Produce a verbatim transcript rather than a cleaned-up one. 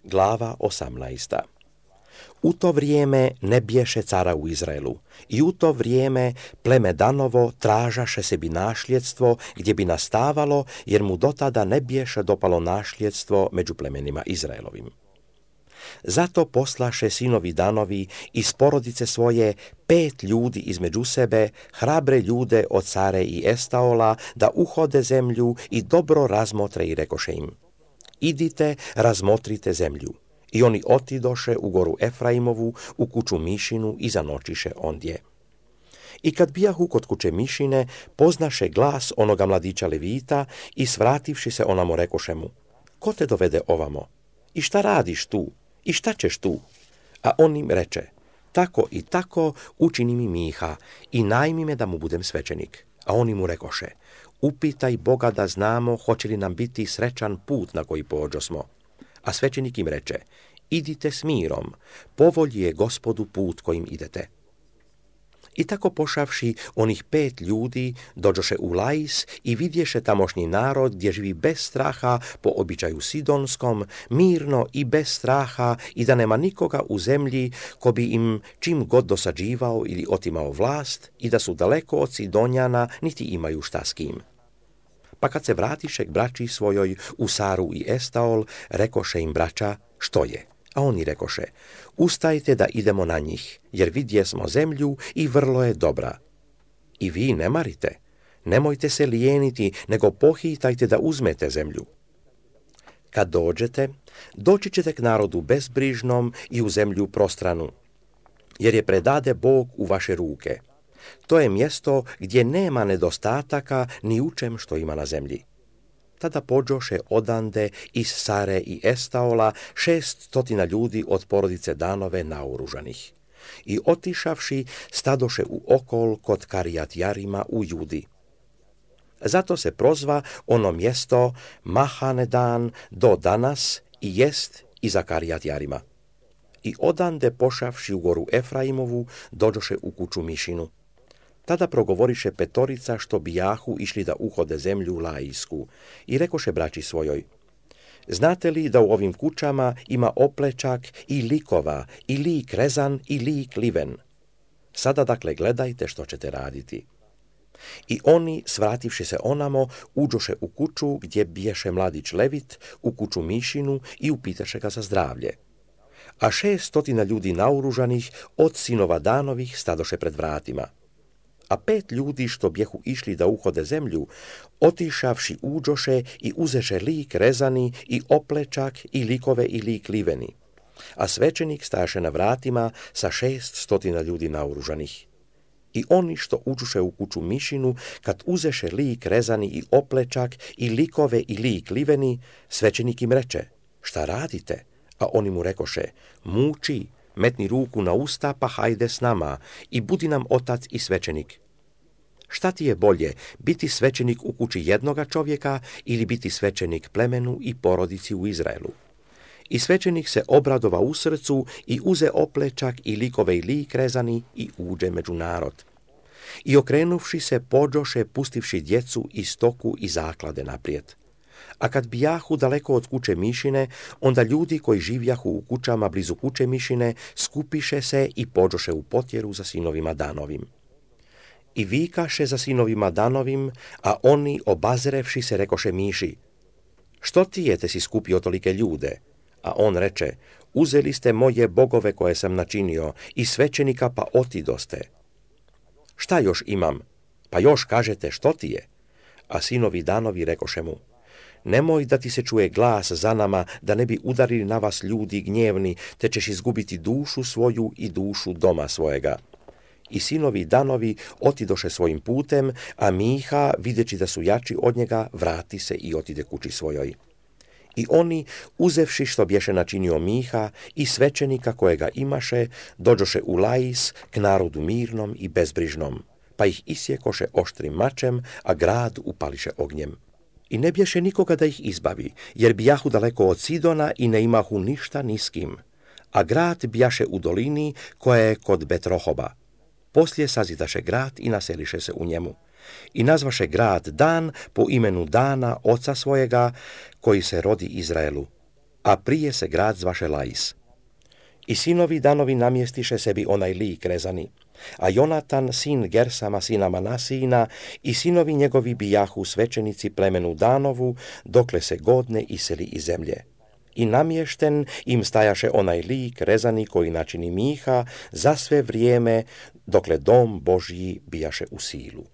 Glava osamnaesta. U to vrijeme ne bješe cara u Izraelu i u to vrijeme pleme Danovo tražaše sebi našljedstvo gdje bi nastavalo, jer mu dotada ne bješe dopalo našljedstvo među plemenima Izraelovim. Zato poslaše sinovi Danovi iz porodice svoje pet ljudi između sebe, hrabre ljude od Sare i Estaola, da uhode zemlju i dobro razmotre i rekoše im: idite, razmotrite zemlju. I oni otidoše u goru Efraimovu, u kuću Mišinu i zanočiše ondje. I kad bijahu kod kuće Mišine, poznaše glas onoga mladića Levita i svrativši se onamo rekoše mu: ko te dovede ovamo? I šta radiš tu? I šta ćeš tu? A on im reče: tako i tako učini mi Miha i najmi me da mu budem svećenik. A oni mu rekoše: upitaj Boga da znamo hoće li nam biti srećan put na koji pođosmo. A svećenik im reče: idite s mirom, povolji je Gospodu put kojim idete. I tako pošavši onih pet ljudi, dođoše u Lais i vidješe tamošnji narod gdje živi bez straha po običaju sidonskom, mirno i bez straha, i da nema nikoga u zemlji ko bi im čim god dosađivao ili otimao vlast, i da su daleko od Sidonjana, niti imaju šta s kim. Pa kad se vratiše k braći svojoj u Saru i Estaol, rekoše im braća: što je? A oni rekoše: ustajte da idemo na njih, jer vidjesmo zemlju i vrlo je dobra. I vi ne marite, nemojte se lijeniti, nego pohitajte da uzmete zemlju. Kad dođete, doći ćete k narodu bezbrižnom i u zemlju prostranu, jer je predade Bog u vaše ruke. To je mjesto gdje nema nedostataka ni u čem što ima na zemlji. Tada pođoše odande iz Sare i Estaola šest stotina ljudi od porodice Danove naoružanih. I otišavši, stadoše u okol kod Karijat Jarima u Judi. Zato se prozva ono mjesto Mahanedan do danas i jest iza Karijat Jarima. I odande pošavši u goru Efraimovu, dođoše u kuću Mišinu. Tada progovoriše petorica što bijahu išli da uhode zemlju Laisku i rekoše braći svojoj: znate li da u ovim kućama ima oplečak i likova, i lik rezan i lik liven? Sada dakle gledajte što ćete raditi. I oni, svrativši se onamo, uđoše u kuću gdje biješe mladić Levit, u kuću Mišinu, i upitaše ga za zdravlje. A šest stotina ljudi naoružanih od sinova Danovih stadoše pred vratima. A pet ljudi što bjehu išli da uhode zemlju, otišavši uđoše i uzeše lik rezani i oplečak i likove i lik liveni. A svećenik staše na vratima sa šest stotina ljudi naoružanih. I oni što uđoše u kuću Mišinu, kad uzeše lik rezani i oplečak i likove i lik liveni, svećenik im reče: šta radite? A oni mu rekoše: muči, metni ruku na usta, pa hajde s nama i budi nam otac i svećenik. Šta ti je bolje, biti svećenik u kući jednoga čovjeka ili biti svećenik plemenu i porodici u Izraelu? I svećenik se obradova u srcu i uze oplečak i likove i lik rezani i uđe među narod. I okrenuvši se, pođoše, pustivši djecu i stoku i zaklade naprijed. A kad bijahu daleko od kuće Mišine, onda ljudi koji živjahu u kućama blizu kuće Mišine skupiše se i pođoše u potjeru za sinovima Danovim. I vikaše za sinovima Danovim, a oni, obazrevši se, rekoše Miši: što ti je te si skupio tolike ljude? A on reče: uzeli ste moje bogove koje sam načinio i svećenika, pa otidoste. Šta još imam? Pa još kažete što ti je? A sinovi Danovi rekoše mu: nemoj da ti se čuje glas za nama, da ne bi udarili na vas ljudi gnjevni, te ćeš izgubiti dušu svoju i dušu doma svojega. I sinovi Danovi otidoše svojim putem, a Miha, videći da su jači od njega, vrati se i otide kući svojoj. I oni, uzevši što bješe načinio Miha i svećenika kojega imaše, dođoše u Lais k narodu mirnom i bezbrižnom, pa ih isjekoše oštrim mačem, a grad upališe ognjem. I ne bješe nikoga da ih izbavi, jer bijahu daleko od Sidona i ne imahu ništa ni s kim. A grad bijaše u dolini koja je kod Betrohoba. Poslije sazidaše grad i naseliše se u njemu. I nazvaše grad Dan po imenu Dana, oca svojega, koji se rodi Izraelu. a prije se grad zvaše Lais. I sinovi Danovi namjestiše sebi onaj lik rezani, a Jonatan, sin Gersama, sina Manasina, i sinovi njegovi bijahu svećenici plemenu Danovu, dokle se godne iseli iz zemlje. I namješten im stajaše onaj lik rezani koji načini Miha za sve vrijeme, dokle dom Božji bijaše u silu.